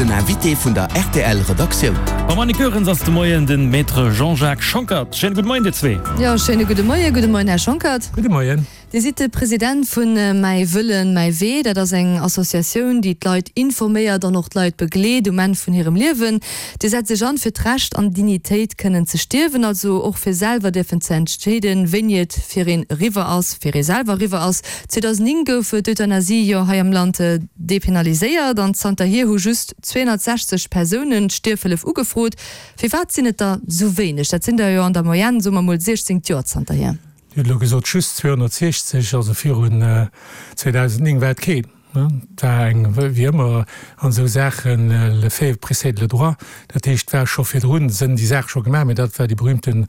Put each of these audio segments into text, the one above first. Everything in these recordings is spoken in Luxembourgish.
Den Invité vun der rtl Redaktioun. Mam Annick Goerens ass de Moien den Maître Jean-Jacques Schonckert. Schéine gudde Moien dir zwee. Jo, schéine gudde Moien. Gudde Moien, Här Schonckert. Gudde Moien. Dir sidd de President vun Mäi Wëllen, mäi Wee. Dat ass eng Associatioun, déi d'Leit informéiert an och d'Leit begleet um Enn vun hirem Liewen. Dir setzt Iech an, fir d'Recht an Dignitéit kënnen ze stierwen, also och fir selwer dierfen ze entscheeden, wéini et fir een eriwwer ass, fir ee selwer eriwwer ass. 2009 gouf d'Euthanasie jo hei am Land depenaliséiert an zanterhier hu just 260 Persounen d'Stierfhëllef ugefrot. Firwat sinn et der sou wéineg? Dat sinn der jo an der Moyenne, soe mer mol, 16 d'Joer zanterhier. Dir hutt elo gesot just 260, also virun 2009 war et keen. Et war eng, wéi ëmmer an esou Saachen, le fait précède le droit. Dat heescht, et war scho virdrun, sënn déi Saach scho gemaach, mä dat war déi berühmte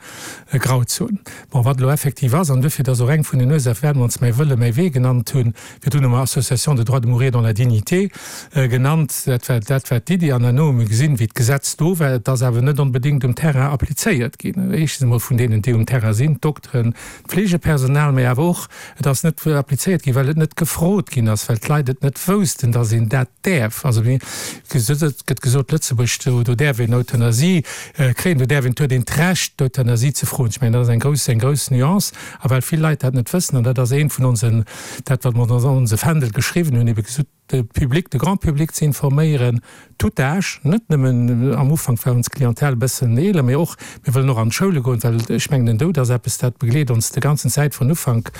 Grauzon. Bon, wat elo effektiv ass, an duerfir, dat ass och eng vun den Ursachen, firwat mer ons Mäi Wëlle, mäi Wee genannt hunn, virdrun hu mer Association de droit de mourir dans la dignité genannt, dat war, dat war d'Iddi. An herno hu mir gesinn, wéi d'Gesetz do war, et ass awer net onbedéngt um Terrain applizéiert ginn, éischtens emol vun deenen, déi um Terrain sinn, d'Dokteren, d'Fleegepersonal, mä awer och, et ass net applizéiert ginn, well et net gefrot ginn ass, well d'Leit et net woussten, dass een dat däerf. Also et gëtt gesot, Lëtzebuerg, do do däerf een Euthanasie kréien, do däerf een, huet een d'Recht d'Euthanasie ze froen. Ech mengen, dat ass eng grouss, eng grouss Nuance. A well vill Leit dat net wëssen, an dat ass eent vun onsen, dat wat mer an onse Fändel geschriwwen hunn, ebe gesot, de Public, de Grand public ze informéieren, tout âge, net nëmmen, am Ufank war ons Clientèle e bëssen eeler, mee och, mir wëllen och an d'Schoule goen, well ech mengen, den Doud ass eppes, dat begleet ons de ganzen Zäit vun Ufank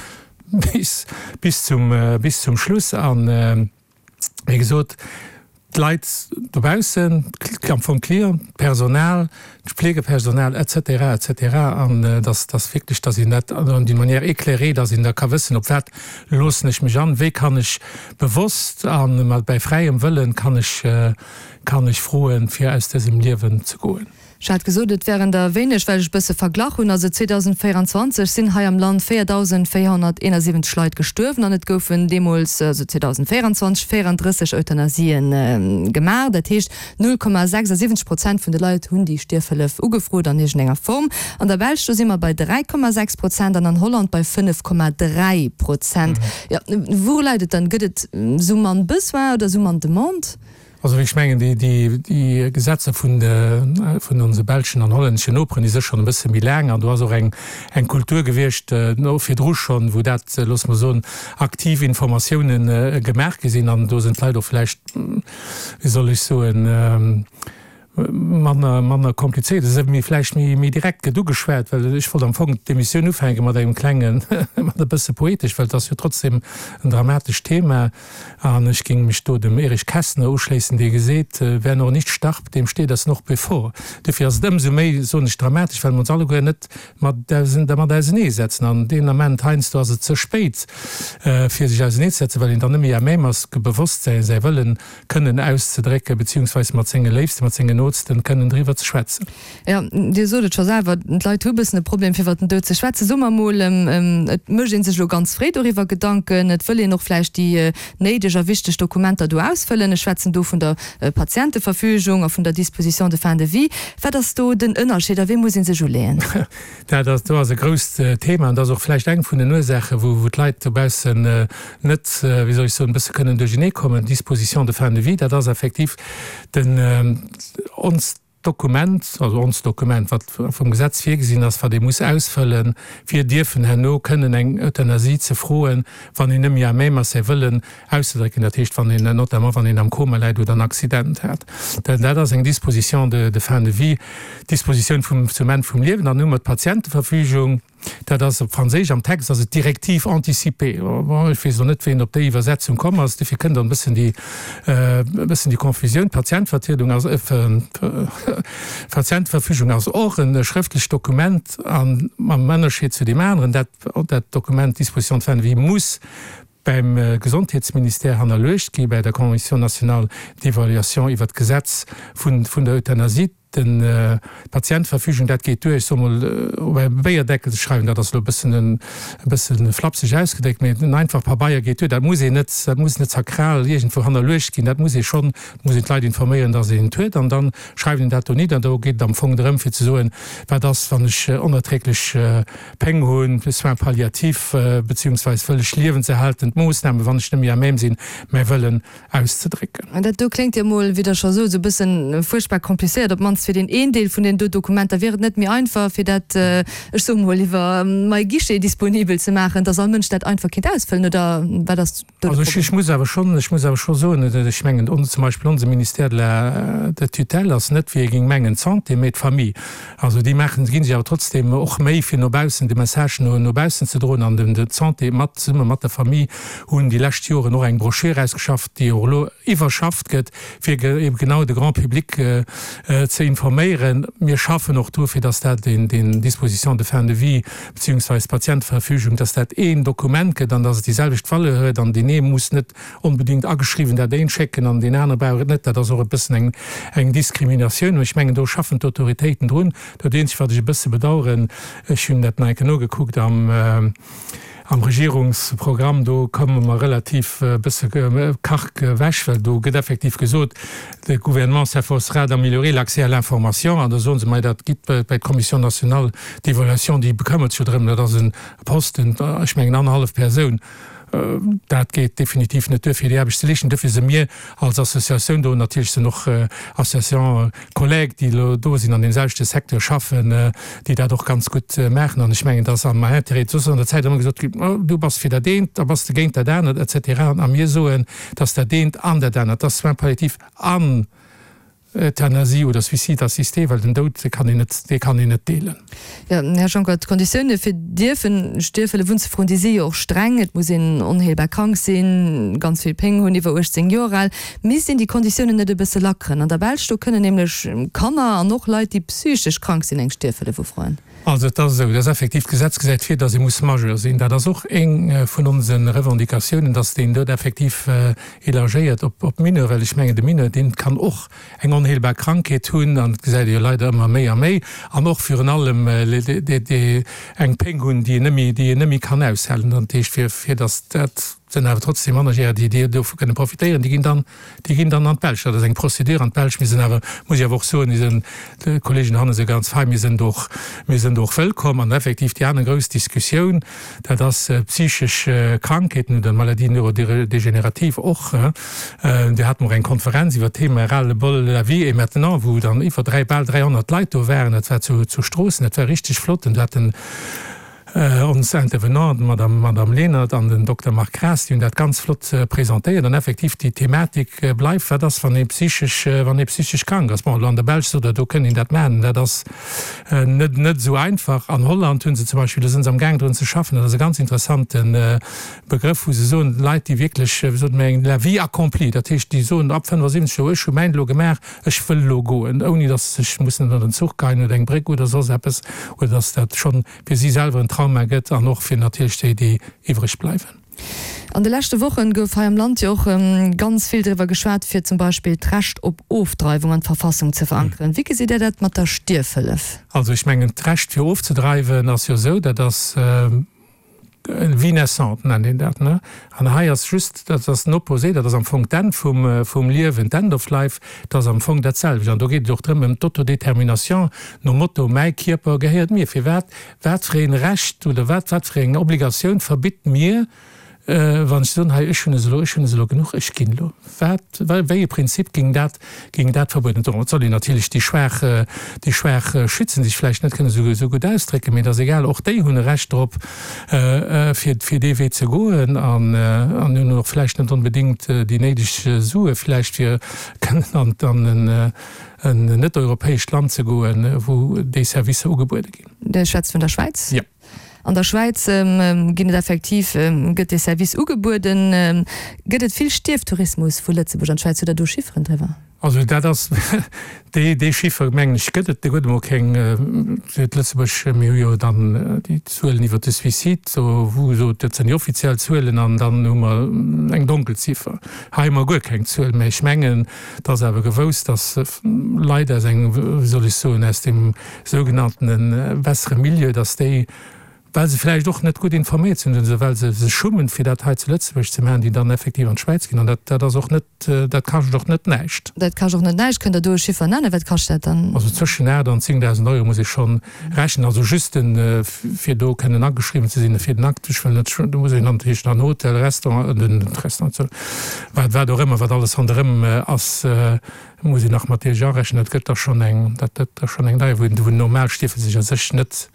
bis, bis zum, bis zum Schluss. An, wéi gesot, d'Leit dobaussen, am Fong d'Clienten, d'Personal, d'Fleegepersonal et cetera, et cetera, an dass, dass wierklech, dass een dat an d'une manière éclairée, dass een da ka wëssen, op wat loossen ech mech an, wéi kann ech bewosst a mat bäi fräiem Wëllen kann ech, kann ech froen, fir aus dësem Liewen ze goen. Ech hat gesot, et wären der wéineg, well ech e bësse verglach hunn. Also 2024 sinn hei am Land 4.471 Leit gestuerwen an et goufen deemools, also 2024, 34 Euthanasien gemaach. Dat heescht, 0,76 Prozent vun de Leit hunn déi Stierfhëllef ugefrot an iergendenger Form. An der Belsch, do si mer bei 3,6 Prozent an an Holland bei 5,3 Prozent. Jo, wouru läit et dann? Gëtt et esou mann Besoin oder esou mann Demande? Also ech mengen, déi Gesetzer vun onse belschen an hollänneschen Noperen, déi si schonn e bësse méi laang an do ass och eng Kultur gewiescht virdru schonn, wou dat, loosse mer soen, aktiv Informatiounen gemaach gi sinn an do sinn d'Leit och vläicht, wéi soll ech soen, manner, manner komplizéiert, et ass méi vläicht méi, méi direkt gëtt ugeschwat, well ech wollt am Fong d'Emissioun ufänke mat engem klengen, mat e bësse poetesch, well et ass jo trotzdem en dramatescht Thema an ech géing mech do dem Erich Kästner uschléissen, dee geseet, Wer noch nicht starb, dem steht das noch bevor. Dofir ass et ëmsou méi, soen ech, dramatesch, well mer ons alleguer net mat dermat auseneesetzen an deen Ament heiansdo ass et ze spéit, fir sech auseneezesetzen, well een dann net méi à même ass, bewosst säi Wëllen kënnen auszedrécken, beziehungsweis mat senge Léifsten, mat sengen Nootsten kënnen driwwer ze schwätzen. Jo, Dir sot et scho selwer, d'Leit hu e bëssen e Problem, fir iwwer den Doud ze schwätzen. Soe mer emol, et mécht ee sech elo ganz fréi doriwwer Gedanken, et wëll een och vläicht déi néideg a wichteg Dokumenter do ausfëllen. Ech schwätzen do vun der Patienteverfügung a vun der Disposition de fin de vie. Wat ass do den Ënnerscheed a wéi muss ee sech uleeën? Dat ass, do ass e grousst Thema an dat ass och vläicht eng vun den Ursaachen, wou, wou d'Leit dobaussen net, wéi soll ech soen, e bësse kënnen duerchernee kommen. D'Disposition de fin de vie, dat ass effektiv den, onst Dokument, also onst Dokument, wat vum Gesetz virgesinn ass, wat ee muss ausfëllen, fir dierfen herno kënnen eng Euthanasie ze froen, wann een net méi à même ass, säi Wëllen auszedrécken, dat heescht, wann een, notamment wann een am Koma läit oder en Accident hat. Dat ass eng Disposition de fin de vie, Dispositioun vum, zum Enn vum Liewen. Dann hu mer d'Patienteverfügung, dat ass op Franséisch, am Text ass et Directive anticipée. Bon, ech weess elo net, wéi een op déi Iwwersetzung komm ass, dofir kënnt dann e bëssen déi, e bëssen déi Confusioun. D'Patientevertriedung ass, Patienteverfügung ass och e schrëftlecht Dokument an mam Ënnerscheed zu deem aneren, dat, dat Dokument Disposition de fin de vie muss beim Gesondheetsministère hannerluecht gi bei der Commission nationale d'évaluation iwwert d'Gesetz vun der Euthanasie. Den d'Patienteverfügung, dat geet duer, ech soe mol, op e Béierdeckel ze schreiwen, dat ass elo e bëssen e bësse flapseg ausgedréckt, mee en einfach Pabeier geet duer. Dat muss een net, dat muss net sakral iergendwou hannerluecht ginn, dat muss ee schonn, muss een d'Leit informéieren, dass een et huet an da schreift een dat do nidder. Do geet et am Fong drëm fir ze soen, wat ass, wann ech onerträglech Péng hunn, Soins palliatifs, beziehungsweis wëll ech liewenserhaltend Moossnamen, wann ech net méi à même sinn, mäi Wëllen auszedrécken. Dat do kléngt jo mol, wéi Der scho sot, esou e bëssen fuerchtbar komplizéiert, op d'mannst fir deen een Deel vun deenen do Dokumenter. Wier et net méi einfach, fir dat, ech soe mol, iwwer MyGuichet disponibel ze maachen, dass all Mënsch dat einfach kéint ausfëllen, oder wat ass do de Also ech Problem? muss awer schonn, ech muss awer scho soen, ech mengen, on, zum Beispill onse Ministère de la, de tutelle ass net, wéi ee géing mengen, d'Santé, mee d'Famille. Also déi maachen, ginn sech awer trotzdem och Méi, fir no baussen de Message no, no baussen ze droen an den, d'Santé mat, zesumme mat der Famille hunn déi lescht Joren och eng Broschür ausgeschafft, déi och elo iwwerschafft gëtt, fir eben genau de Grand public ze informéieren. Mir schaffen och dru fir dass dat deen, deen Dispositions de fin de vie beziehungsweise d'Patienteverfügung, dass dat een Dokument gëtt an dass et déi selwecht Valeur huet an deen ee muss net onbedingt ageschriwwen dat een schécken an deen anere brauch et net. Dat ass och e bëssen eng, eng Diskriminatioun. Mä ech mengen, do schaffen d'Autoritéiten drun. Dat eenzegt, wat ech e bësse bedauern, ech hunn dat nach eng Kéier nogekuckt am, am Regierungsprogramm, do komme mer relativ e bësse karg ewech, well do gëtt effektiv gesot, De Gouvernement s'efforcera d'améliorer l'accès à l'information. An da soen se, Mei, dat gitt bei d'Commission nationale d'évaluation, déi bekëmmert sech jo drëm. Dat ass e Posten, ech mengen annerhallef Persoun. Dat geet definitiv net duer, fir déi Aarbecht ze leeschten. Dofir si mir als Associatioun do, natierlech sinn och Associations collègues, déi elo do sinn, an deem selwechte Secteur schaffen, déi dat och ganz gutt maachen. An ech mengen, et ass am Intérêt, soss ass an der Zäit ëmmer gesot ginn, oh, du bass fir dat eent, da bass de géint dat anert, et cetera. A mir soen, dass dat eent an dat anert, dass Soins palliatifs an Euthanasie oder Suicide assisté, well den Doud, dee kann een net, dee kann een net deelen. Jo, Här Juncker, d'Konditioune fir dierfen Stierfhëllef unzefroen, déi si jo och streng. Et muss een onheelbar krank sinn, ganz vill Péng hunn, iwwer 18 Joer al. Misst een déi Konditiounen net e bësse lackeren? An der Belsch, do kënnen nämlech Kanner an och Leit, déi psychesch krank sinn, eng Stierfhëllef ufroen. Also et ass esou, dass effektiv d'Gesetz gesäit vir, dass ee muss Majeur sinn. Dat ass och eng vun onse Revendicatiounen, dass deen dot effektiv élargéiert op d'Mineur, well ech mengen, de Mineur, dee kann och eng onheelbar Krankheet hunn, an et gesäit ee jo leider ëmmer méi a méi, an och virun allem eng Péng hunn, déi en net méi, déi en net méi kann aushalen. Dat heescht, fir, fir dass dat sinn awer trotzdem Mannerjärer, déi, déi dovu kënne profitéieren, déi ginn dann, Déi ginn dann an d'Belsch. Dat ass eng Procédure an d'Belsch. Mir sinn awer, muss ech awer och soen, mir sinn, d'Kollegen dohanne si ganz fein, mir sinn do och, mir sinn do och wëllkomm. An effektiv déi aner grouss Diskussioun, dat ass psychesch Krankheeten oder Maladies neurodégénératives och. Do hate mer och eng Konferenz iwwert d'Thema Ras-le-bol, la vie est maintenant, wou dann iwwer 3, bal 300 Leit do waren. Dat war zu Stroossen. Dat war richteg flott. An do hat den, Ons Intervenanten, d'Madame Madame Lenert an den Dokter Marc Graas, déi hunn dat ganz flott presentéiert. An effektiv, déi Thematik bleift, Wat ass, wann ee psychesch, wann ee psychesch krank ass? Bon, elo an der Belsch sot Der, do kënnt een dat maachen. Dat ass net, net esou einfach. An Holland hu se zum Beispill, do si se amgaang drun ze schaffen, dat ass e ganz interessante Begrëff, wou se soen, Leit, déi wierklech, wéi sote mir, eng la vie accomplie, dat heescht, déi soen ab 75 Joer, ech hu mäint elo gemaach, ech wëll elo goen, ouni datt se sech mussen ënner den Zuch geien oder eng Bréck oder soss eppes, oder datt dat schonn fir si selwer en Trauma gëtt an och fir natierlech déi, déi iwwreg bleiwen. An de leschte Wochen gouf hei am Land jo och ganz vill driwwer geschwat, fir zum Beispill d'Recht op Ofdreiwung an d'Verfassung ze verankeren. Wéi gesitt Dir dat mat der Stierfhëllef? Also ech mengen, d'Recht fir ofzedreiwen ass jo esou, dat ass, Vie naissante nennt een dat, ne? An hei ass just, dat ass den Opposé, dat ass am Fong d'Enn vum, vum Liewen, d'End of life, dat ass am Fong dat selwecht. An do geet et och drëm, ëm d'Autodétermination nom Motto, mäi Kierper gehéiert mir. Firwat, wat fir een Recht oder wat, wat fir eng Obligatioun verbitt mir, Wann ech soen, hei, ech hunn es elo, ech hunn es elo genuch, ech ginn elo, wat, wéi e Prinzip géing dat, géing dat verbueden? Bon, et soll een natierlech déi Schwaach, déi Schwaach schützen, déi sech vläicht net kënnen esou, esou gutt ausdrécken, mee et ass egal, och déi hunn e Recht drop, fir, fir dee Wee ze goen an, an hunn och vläicht net onbedéngt déi néideg Sue vläicht, fir kënnen an, an en, en net-europäescht Land ze goen, wou déi Servicer ugebuede ginn. Dir schwätzt vun der Schwäiz? Jo. An der Schwäiz ginn et effektiv, gëtt dee Service ugebueden. Gëtt et vill Stierftourismus vu Lëtzebuerg an d'Schwäiz? Hutt Der do Chifferen driwwer? Also dat ass, dee dee Chiffer, mengen ech, gëtt et guer emol keng. Fir d'Lëtzebuerg, mir hu jo dann déi Zuelen iwwert de Suicide, do wou gesot, dat sinn déi offiziell Zuelen an dann hu mer eng Donkelziffer. Hei hu mer guer keng Zuel, mä ech mengen, et ass awer gewousst, datt Leit aus engem, wéi soll ech soen, aus deem sougenanntene bessere Milieu, datt déi, well se vläicht och net gutt informéiert sinn oder well se sech schummen, fir dat hei zu Lëtzebuerg ze maachen, déi dann effektiv an d'Schwäiz ginn. An dat, dat ass och net, dat kascht och net näischt. Dat kascht och net näischt. Kënnt Der do e Chiffer nennen? Wat kascht dat dann? Also zwëschen 8 an 10.000 Euro muss ee schonn rechnen. Also just den, fir do kënnen ageschriwwen ze sinn, fir den Akt, ech wëll net, do muss een natierlech dann Hotel, Restaurant, den Restaurant, wat, wat och ëmmer, wat alles ronderëm ass, muss een nach mat deeg arechnen. Dat gëtt da schonn eng, dat gëtt da schonn eng deier, wou en normal Stiefel sech a sech net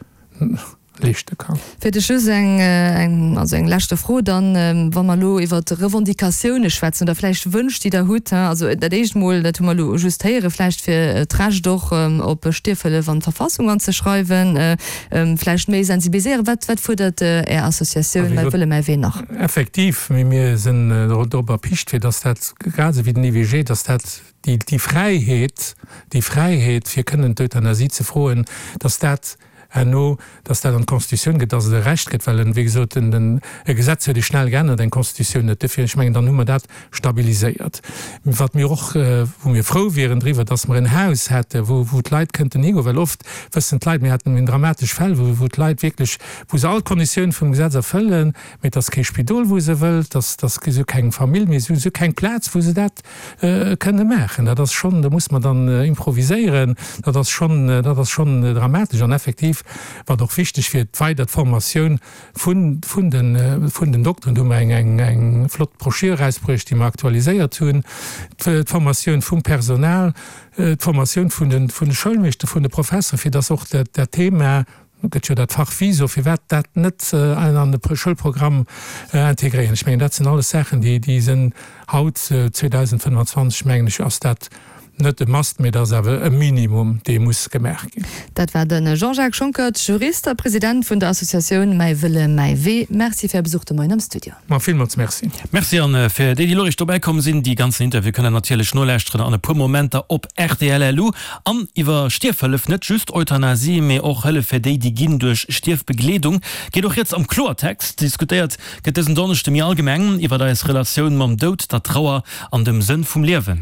leeschte kann. Fir de Schluss eng, eng, also eng leschte Fro dann, Wa mer elo iwwer Revendicatioune schwätzen oder vläicht Wënsch, déi Der hutt, also dat éischt mol, dat hu mer elo just héieren, vläicht fir d'Recht och op Stierfhëllef an d'Verfassung anzeschreiwen, vläicht méi sensibiliséieren. Wat, wat fuerdert Är Associatioun Mäi Wëlle, mäi Wee nach? Effektiv, mee mir sinn dorop erpicht, fir dass dat, grad esou wéi den IVG, dass dat déi, déi Fräiheet, déi Fräiheet fir kënnen d'Euthanasie ze froen, dass dat herno, dass dat an d'Constitutioun gëtt, dass et e Recht gëtt, well en, wéi gesot, en, en, e Gesetz huet ee schnell geännert, eng Constitutioun net. Duerfir, ech mengen, dann hu mer dat stabiliséiert. Wat mir och, wou mir frou wieren driwwer, dass mer en Haus hätte wou, wou d'Leit kënnten higoen, well oft wëssen d'Leit, mir haten dramatesch Fäll, wou, wou d'Leit wierklech, wou se all d'Konditiounen vum Gesetz erfëllen, mee et ass kee Spidol, wou se wëllt, et ass, et ass, si hu keng Famill méi, si hu keng Plaz, wou se dat kënne maachen. Dat ass schonn, do muss mer dann improviséieren, dat ass schonn, dat ass schonn dramatesch. An effektiv, wat och wichteg wier, d'weider d'Formatioun vun, vun den, vun den Dokteren, do hu mer eng, eng, eng flott Broschür erausbruecht, déi mer aktualiséiert hunn, d'Formatioun vum Personal, d'Formatioun vun den, vun de Schoulmeeschter, vun de Professeren, fir dass och dat, dat Thema, gëtt jo dat Fach Viso, firwat dat net an de Schoulprogramm integréieren? Ech mengen, dat sinn alles Saachen, déi, déi sinn haut, 2025, mengen ech, ass dat net e Must, mee dat ass awer e Minimum, dee muss gemaach ginn. Dat war de Jean-Jacques Schonckert, Jurist a President vun der Associatioun Mäi Wëlle, mäi Wee. Merci fir Är Besuch de Moien am Studio. Ma villmools Merci. Merci an fir déi, déi elo eréischt dobäi komm sinn, déi ganzen Interview kënnt der natierlech nolauschteren an e puer Momenter op rtl. Lu. An iwwer Stierfhëllef, net just Euthanasie, mee och Hëllef fir déi, déi ginn duerch Stierfbegleedung, geet och rieds am Kloertext. Diskutéiert gëtt dësen Donneschde méi allgemeng iwwer eis Relatioun mam Doud, der Trauer an dem Sënn vum Liewen.